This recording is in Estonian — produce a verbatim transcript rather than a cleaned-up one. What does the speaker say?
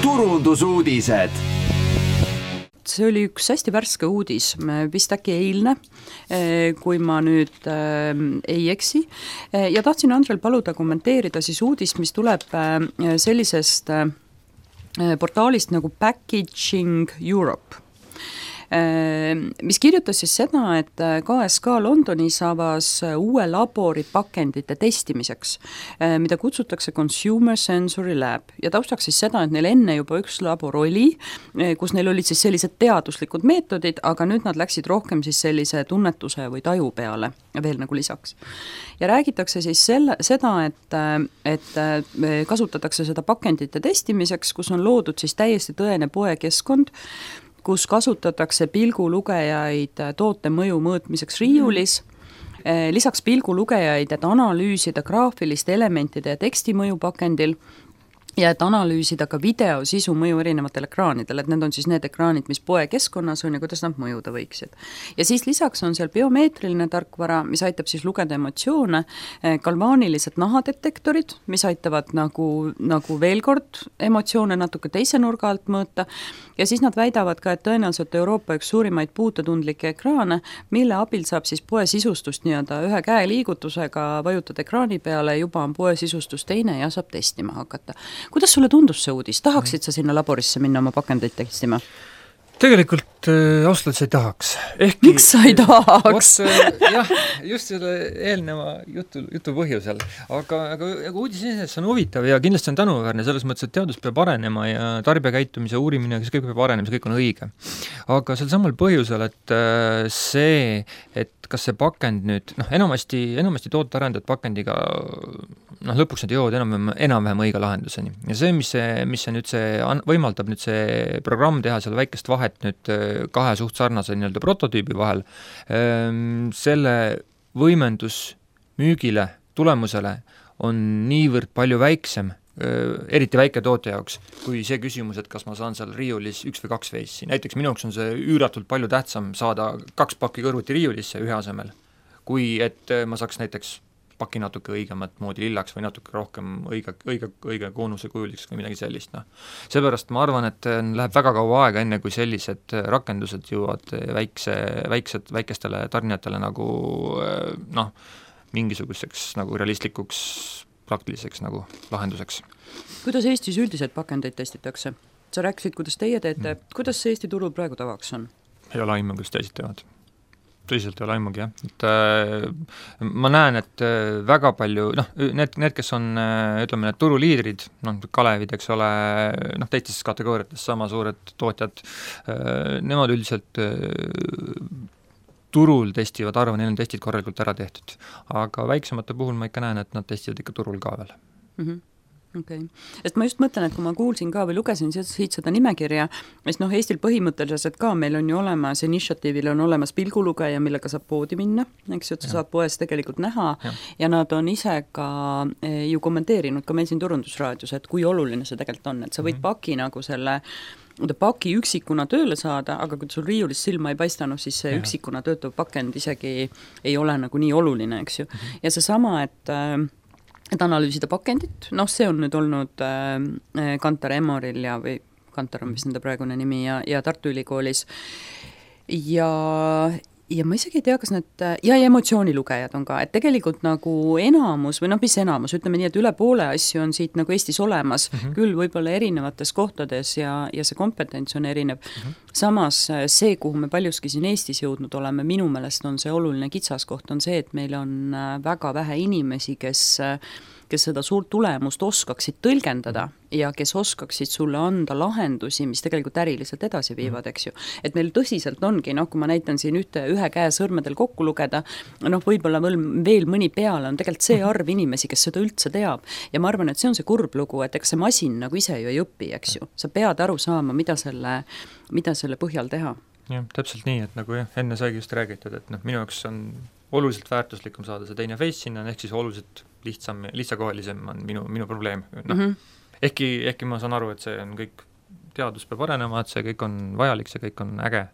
turundusuudised. See oli üks hästi värske uudis, vist äkki eilne, kui ma nüüd äh, ei eksi. Ja tahtsin Andrel paluda kommenteerida siis uudist, mis tuleb äh, sellisest äh, portaalist nagu Packaging Europe, mis kirjutas siis seda, et K S K Londonis avas uue labori pakendite testimiseks, mida kutsutakse Consumer Sensory Lab. Ja taustaks siis seda, et neil enne juba üks labor oli, kus neil olid siis sellised teaduslikud meetodid, aga nüüd nad läksid rohkem siis sellise tunnetuse või taju peale veel nagu lisaks. Ja räägitakse siis selle, seda, et, et kasutatakse seda pakendite testimiseks, kus on loodud siis täiesti tõene poekeskkond, kus kasutatakse pilgulugejaid toote mõju mõõtmiseks riiulis, lisaks pilgulugejaid, et analüüsida graafiliste elementide ja teksti mõju pakendil ja et analüüsida ka videosisu mõju erinevatel ekraanidel, et need on siis need ekraanid, mis poekeskkonnas on ja kuidas nad mõjuda võiksid. Ja siis lisaks on seal biomeetriline tarkvara, mis aitab siis lugeda emotsioone, galvaanilised nahadetektorid, mis aitavad nagu, nagu veel kord emotsioone natuke teise nurga alt mõõta, ja siis nad väidavad ka, et tõenäoliselt Euroopa üks suurimaid puututundlikke ekraane, mille abil saab siis poe sisustust nii-öelda ühe käe liigutusega vajutada ekraani peale, juba on poe sisustus teine ja saab testima hakata. Kuidas sulle tundus see uudis? Tahaksid sa sinna laborisse minna oma pakendeid testima? Tegelikult äh, ausalt sa ei tahaks. Ehkki, miks sa ei tahaks? Võt, jah, just selle eelneva jutu, jutu põhjusel. Aga, aga, aga uudis iseenesest on huvitav ja kindlasti on tänuväärne selles mõttes, et teadus peab arenema ja tarbijakäitumise uurimine, kes kõik peab arenema, see kõik on õige. Aga sel samal põhjusel, et äh, see, et kas see pakend nüüd, noh, enamasti, enamasti tootearendajad pakendiga, noh, lõpuks nad jõuavad enam, enam-vähem õige lahenduseni. Ja see, mis see, mis see nüüd see võimaldab nüüd see programm teha seal väikest vahet nüüd kahe suht sarnase nii-öelda prototüübi vahel, selle võimendus müügile, tulemusele on niivõrd palju väiksem, eriti väike toote jaoks, kui see küsimus, et kas ma saan seal riiulis üks või kaks veissi. Näiteks minu jaoks on see üüratult palju tähtsam saada kaks pakki kõrvuti riiulisse ühe asemel, kui et ma saaks näiteks paki natuke õigemat moodi lillaks või natuke rohkem õige, õige, õige koonuse kujuliseks või midagi sellist. No. Seepärast ma arvan, et läheb väga kaua aega, enne kui sellised rakendused jõuavad väikse, väiksed, väikestele tarnijatele nagu noh, mingisuguseks nagu realistlikuks praktiliseks nagu lahenduseks. Kuidas Eestis üldiselt pakendeid testitakse? Sa rääkisid, kuidas teie teete, mm. kuidas see Eesti turul praegu tavaks on? Ei ole aimu, kuidas teised teevad. Tõsiselt ei ole aimugi, jah. Et, äh, ma näen, et äh, väga palju, noh, need, need, kes on, äh, ütleme, need turuliidrid, noh, Kalevid, eks ole, noh, teistes kategooriates sama suured tootjad, äh, nemad üldiselt äh, turul testivad, arvan, neil on testid korralikult ära tehtud. Aga väiksemate puhul ma ikka näen, et nad testivad ikka turul ka veel. Mhm. Okay. Sest ma just mõtlen, et kui ma kuulsin ka või lugesin siit seda nimekirja, sest noh, Eestil põhimõtteliselt ka meil on ju olemas, initiatiivil on olemas pilgulugeja, millega saab poodi minna, eks ju, et sa ja. Saad poes tegelikult näha ja. Ja nad on ise ka ju kommenteerinud ka meil siin turundusraadios, et kui oluline see tegelikult on, et sa võid mm-hmm. paki nagu selle paki üksikuna tööle saada, aga kui sul riiulis silma ei paistanud, siis see ja. Üksikuna töötav pakend isegi ei ole nagu nii oluline, eks ju. Mm-hmm. Ja see sama, et et analüüsida pakendit, noh, see on nüüd olnud äh, Kantar Emoril ja või Kantar on vist nende praegune nimi ja, ja Tartu Ülikoolis ja, ja ma isegi ei tea, kas need, ja, ja emotsioonilugejad on ka, et tegelikult nagu enamus, või noh, mis enamus, ütleme nii, et üle poole asju on siit nagu Eestis olemas, mm-hmm. küll võib-olla erinevates kohtades ja, ja see kompetents on erinev. Mm-hmm. Samas see, kuhu me paljuski siin Eestis jõudnud oleme, minu meelest on see oluline kitsaskoht, on see, et meil on väga vähe inimesi, kes kes seda suurt tulemust oskaksid tõlgendada ja kes oskaksid sulle anda lahendusi, mis tegelikult äriliselt edasi viivad, eks ju. Et meil tõsiselt ongi, noh, kui ma näitan siin ühte, ühe käe sõrmedel kokku lugeda, noh, võib-olla veel, veel mõni peale on tegelikult see arv inimesi, kes seda üldse teab. Ja ma arvan, et see on see kurb lugu, et eks see masin nagu ise ju ei õpi, eks ju. Sa pead aru saama, mida selle, mida selle põhjal teha. Jah, täpselt nii, et nagu jah, enne saigi just räägitud, et noh, minu jaoks on oluliselt väärtuslikum saada see teine face sinna, ehk siis oluliselt lihtsam, lihtsakohalisem on minu, minu probleem. No. Mm-hmm. Ehkki, ehkki ma saan aru, et see on kõik, teadus peab arenema, et see kõik on vajalik, see kõik on äge,